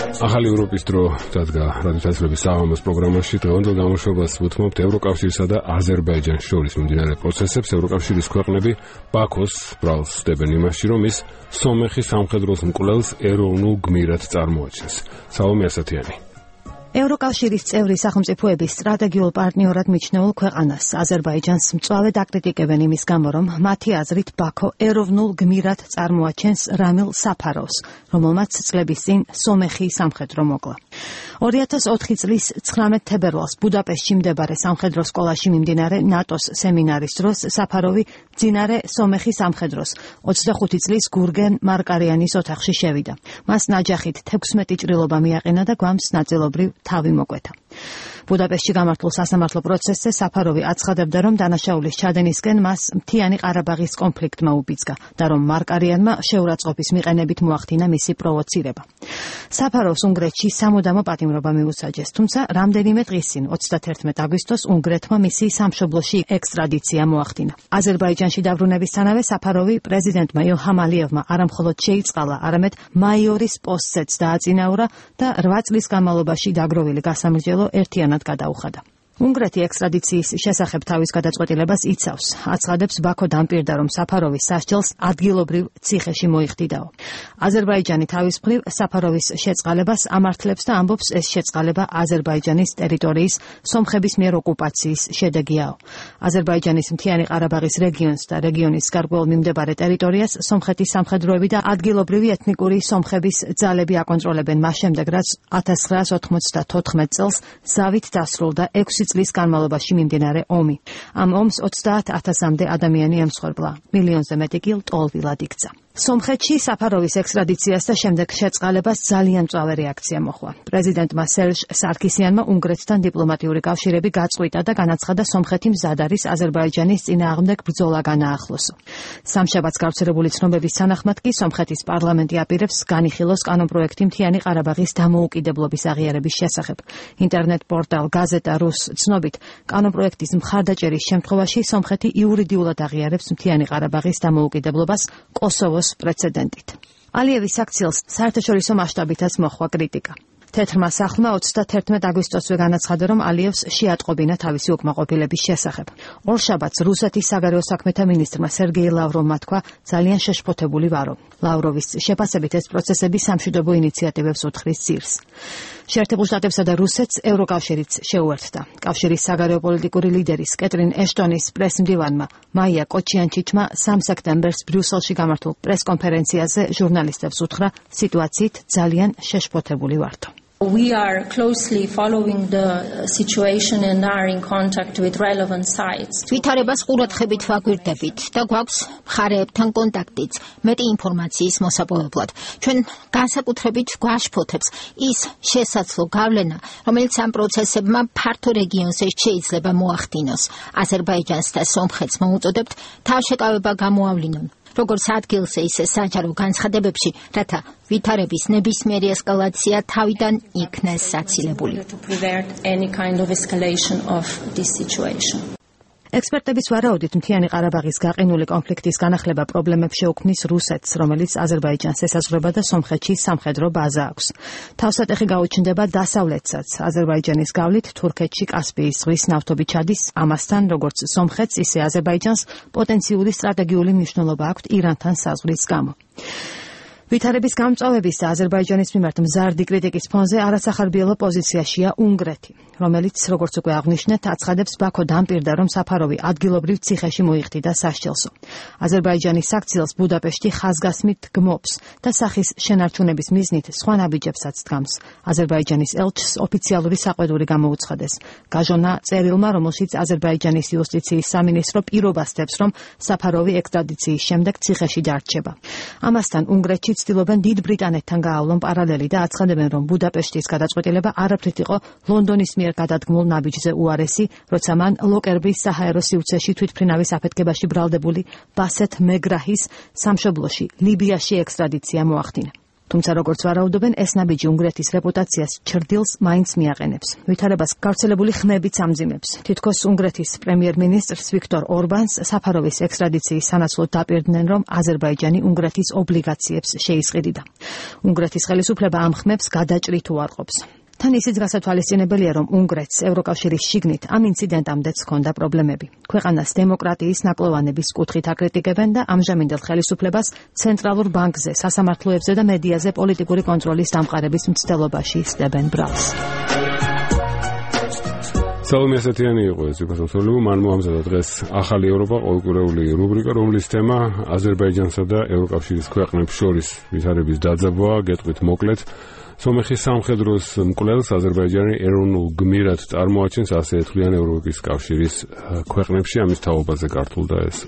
ახალი ევროპის დრო დადგა რადიოთასრების საღამოს პროგრამაში. დღევანდელ გამოშვებას ვუთმობთ ევროკავშირსა და აზერბაიჯანის შორის მიმდინარე პროცესებს. ევროკავშირის ქვეყნები ბაქოს ბრალს ხდებენ იმაში, რომ ის სომეხის სამხედროს მკვლელს ეროვნულ გმირად წარმოაჩენს. სალომე ასათიანი. ევროკავშირის წევრი სახელმწიფოების სტრატეგიულ პარტნიორად მიჩნეულ ქვეყანას აზერბაიჯანს მწვავედ აკრიტიკებენ იმის გამო, რომ მათი აზრით ბაქო ეროვნულ გმირად წარმოაჩენს რამილ საფაროვს, რომელმაც წლების წინ სომეხი სამხედრო მოკლა. 2004 წლის 19 თებერვალს ბუდაპეშტში მდებარე სამხედრო სკოლაში მიმდინარე ნატოს სემინარის დროს საფაროვი მძინარე სომეხი სამხედროს 25 წლის გურგენ მარკარიანის ოთახში შევიდა. მას ნაჯახით 16 ჭრილობა მიაყენა და გვამს ნაწილობრივ თავი მოკვეთა. ბუდაპეშტში გამართულ სასამართლო პროცესზე საფაროვი აცხადებდა, რომ დანაშაულის ჩადენისკენ მას მთიანი ყარაბაღის კონფლიქტმა უბიძგა და რომ მარკარიანმა შეურაცხყოფის მიყენებით მოახდინა მისი პროვოცირება. საფაროვს უნგრეთში სამუდამო პატიმრობა მიუსაჯეს, თუმცა რამდენიმე დღის წინ 31 აგვისტოს უნგრეთმა მისი სამშობლოში ექსტრადიცია მოახდინა. აზერბაიჯანში დაბრუნებისთანავე საფაროვი პრეზიდენტმა ილჰამ ალიევმა არამხოლოდ შეიწყალა, არამედ მაიორის პოსტზეც დააწინაურა და 8 წლის განმავლობაში დაგროვილი გასამრჯელო ერთიანად გადაუხადა. უნგრეთი ექსტრადიციის შესახებ თავის გადაწყვეტილებას იცავს. აცხადებს, ბაქო დამპირდა, რომ საფაროვის სასჯელს ადგილობრივ ციხეში მოიხდიდაო. აზერბაიჯანი თავის მხრივ საფაროვის შეწყალებას ამართლებს და ამბობს, ეს შეწყალება აზერბაიჯანის ტერიტორიის სომხების მიერ ოკუპაციის შედეგიაო. აზერბაიჯანის მთიანი ყარაბაღის რეგიონს და რეგიონის გარკვეულ მიმდებარე ტერიტორიას სომხეთის სამხედროები და ადგილობრივი ეთნიკური სომხების ძალები აკონტროლებენ მას შემდეგ, რაც 1994 წელს ზავით დასრულდა 6 წლის განმავლობაში მიმდინარე ომი. ამ ომს 30,000-მდე ადამიანი ემსხვერპლა, მილიონზე მეტი კი ლტოლვილად იქცა. სომხეთში საფაროვის ექსტრადიციას და შემდეგ შეწყალებას ძალიან მწვავე რეაქცია მოჰყვა. პრეზიდენტმა სერჟ სარქისიანმა უნგრეთთან დიპლომატიური კავშირები გაწყვიტა და განაცხადა, სომხეთი მზად არის აზერბაიჯანის წინააღმდეგ ბრძოლა განაახლოსო. სამშაბათს გავრცელებული ცნობების თანახმად კი სომხეთის პარლამენტი აპირებს განიხილოს კანონპროექტი მთიანი ყარაბაღის დამოუკიდებლობის აღიარების შესახებ. ინტერნეტ პორტალ გაზეტა რუს ცნობით, კანონპროექტის მხარდაჭერის შემთხვევაში სომხეთი იურიდიულად აღიარებს მთიანი ყარაბაღის დამოუკიდებლობას კოსოვოს პრეცედენტით. ალიევის აქციელს საერთაშორისო მასშტაბითაც მოჰყვა კრიტიკა. თეთრმა სახლმა 31 აგვისტოსვე განაცხადა, რომ ალიევს შეატყობინა თავისი უკმაყოფილების შესახებ. ორშაბათს რუსეთის საგარეო საქმეთა მინისტრმა სერგეი ლავროვმა თქვა, ძალიან შეშფოთებული ვარო. ლავროვის შეფასებით ეს პროცესები სამშვიდობო ინიციატივებს უთხრის ძირს. შეერთებულ შტატებსა და რუსეთს ევროკავშირიც შეუერთდა. კავშირის საგარეო პოლიტიკური ლიდერის კეტრინ ეშტონის პრესმდივანმა მაია კოჩიანჩიჩმა 3 სექტემბერს ბრიუსელში გამართულ პრესკონფერენციაზე ჟურნალისტებს უთხრა, სიტუაციით ძალიან შეშფოთებული ვართ. We are closely following the situation and are in contact with relevant sites. ვითარებას ყურადღებით ვაგვირდებით და გვაქვს მხარეებთან კონტაქტიც მეტი ინფორმაციის მოსაპოვებლად. ჩვენ განსაკუთრებით გვაშფოთებს ის შესაძლო გავლენა, რომელიც ამ პროცესებმა ფართო რეგიონზე შეიძლება მოახდინოს. აზერბაიჯანს და სომხეთს მოუწოდებთ თავშეკავება გამოავლინონ. როგორც ადგილზე, ისე საჯარო განცხადებებში, რათა ვითარების ნებისმიერი ესკალაცია თავიდან იქნეს საცილებული. ექსპერტების ვარაუდით, მთიანი ყარაბაღის გაყინული კონფლიქტის განახლება პრობლემებს შეუქმნის რუსეთს, რომელიც აზერბაიჯანს ესაზღვრება და სომხეთში სამხედრო ბაზა აქვს. თავსატეხი გაუჩნდება დასავლეთსაც. აზერბაიჯანის გავლით თურქეთში კასპიის ზღვის ნავთობი ჩადის, ამასთან როგორც სომხეთს, ისე აზერბაიჯანს პოტენციური სტრატეგიული მნიშვნელობა აქვს ირანთან საზღვრის გამო. ვითარების გამწვავების და აზერბაიჯანის მიმართ მზარდი კრიტიკის ფონზე არასახარბიელო პოზიციაშია უნგრეთი, რომელიც, როგორც უკვე აღნიშნეთ, აცხადებს, ბაქო დამპირდა, რომ საფაროვი ადგილობრივ ციხეში მოიხდიდა სასჯელსო. აზერბაიჯანის აქციელს ბუდაპეშტი ხაზგასმით გმობს და სახის შენარჩუნების მიზნით სხვა ნაბიჯებსაც დგამს. აზერბაიჯანის ელჩს ოფიციალური საყვედური გამოუცხადეს. გაჟონა წერილმა, რომელშიც აზერბაიჯანის იუსტიციის სამინისტრო პირობას დებს, რომ საფაროვი ექსტრადიციის შემდეგ ციხეში დარჩება. ამასთან უნგრეთში ცდილობენ დიდ ბრიტანეთთან გაავლონ პარალელი და აცხადებენ, რომ ბუდაპეშტის გადაწყვეტილება არაფრით იყო ლონდონის მიერ გადადგმულ ნაბიჯზე უარესი, როცა მან ლოკერბის საჰაერო სივრცეში თვითმფრინავის აფეთქებაში ბრალდებული ბასეთ მეგრაჰის სამშობლოში ლიბიაში ექსტრადიცია მოახდინა. თუმცა როგორც ვარაუდობენ, ეს ნაბიჯი უნგრეთის რეპუტაციას ჩრდილს მაინც მიაყენებს. ვითარებას გავრცელებული ხმებიც ამძიმებს. თითქოს უნგრეთის პრემიერ-მინისტრს ვიქტორ ორბანს საფაროვის ექსტრადიციის სანაცვლოდ დაპირდნენ, რომ აზერბაიჯანი უნგრეთის ობლიგაციებს შეისყიდიდა. უნგრეთის ხელისუფლება ამ ხმებს გადაჭრით უარყოფს. თან ისიც გასათვალისწინებელია, რომ უნგრეთს ევროკავშირის შიგნით ამ ინციდენტამდეც ჰქონდა პრობლემები. ქვეყანას დემოკრატიის ნაკლოვანების კუთხით აკრიტიკებენ და ამჟამინდელ ხელისუფლებას ცენტრალურ ბანკზე, სასამართლოებზე და მედიაზე პოლიტიკური კონტროლის დამყარების მცდელობაში სდებენ ბრალს. სალომე ასეთიანი იყო ეს იქოსმოსოლები, მან მოამზადა დღეს ახალი ევროპა ყოველკვირეული რუბრიკა, რომლის თემა აზერბაიჯანსა და ევროკავშირის ქვეყნებს შორის ვითარების დაძაბვაა. გეტყვით მოკლედ. სომეხის სამხედროს მკვლელს აზერბაიჯანი ეროვნულ გმირად წარმოაჩენს, ასე ეთვლიან ევროპის კავშირის ქვეყნებში, ამის თაობაზე გართულდა ეს